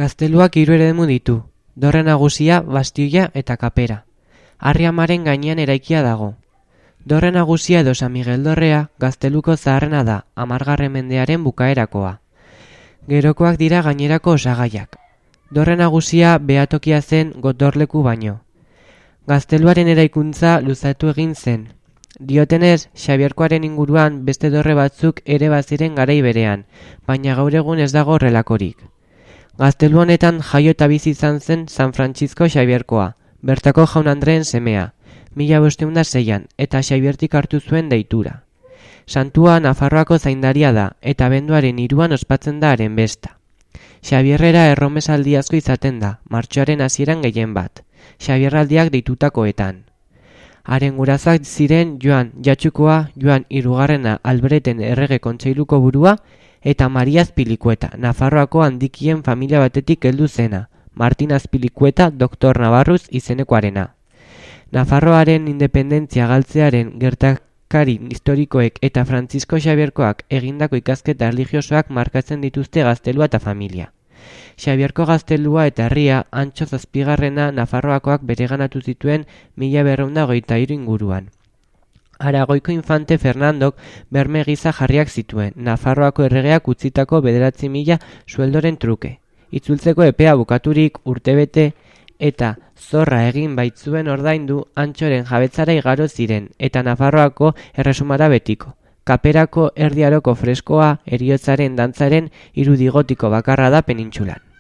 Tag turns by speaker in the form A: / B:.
A: Gazteluak 3 eremu ditu, dorre nagusia, bastioia eta kapera. Harri-amaren gainean eraikia dago. Dorre nagusia edo San Miguel dorrea Gazteluko zaharrena da, 10. mendearen bukaerakoa. Gerokoak dira gainerako osagaiak. Dorre nagusia behatokia zen gotorleku baino. Gazteluaren eraikuntza luzatu egin zen. Diotenez, Xabierkoaren inguruan beste dorre batzuk ere baziren garai berean, baina gaur egun ez dago horrelakorik. Gaztelu honetan jaio eta bizi izan zen San Francisco Xabierkoa, bertako jaun Andreen semea, 1506an, eta Xabiertik hartu zuen deitura. Santua Nafarroako zaindaria da, eta abenduaren 3an ospatzen da haren besta. Xabierrera erromesaldi asko izaten da, martxoaren hasieran gehien bat, Xabierraldiak deitutakoetan. Haren gurazak ziren Joan Jatxukoa, Joan Hirugarrena Albreten errege kontseiluko burua, eta Maria Azpilikueta, Nafarroako handikien familia batetik heldu zena, Martin Azpilikueta doktor Navarruz izenekoarena. Nafarroaren independentzia galtzearen gertakari historikoek eta Francisco Xabierkoak egindako ikasketa erlijiosoak markatzen dituzte gaztelua eta familia. Xabierko gaztelua eta herria Antxo Zazpigarrena Nafarroakoak bereganatu zituen 1223 inguruan. Aragoiko infante Fernandok berme gisa jarriak zituen, Nafarroako erregeak utzitako 9.000 sueldoren truke. Itzultzeko epea bukaturik urtebete eta zorra egin baitzuen ordaindu Antxoren jabetzara igaro ziren, eta Nafarroako erresumara betiko. Kaperako erdiaroko freskoa heriotzaren dantzaren irudi gotiko bakarra da penintsulan.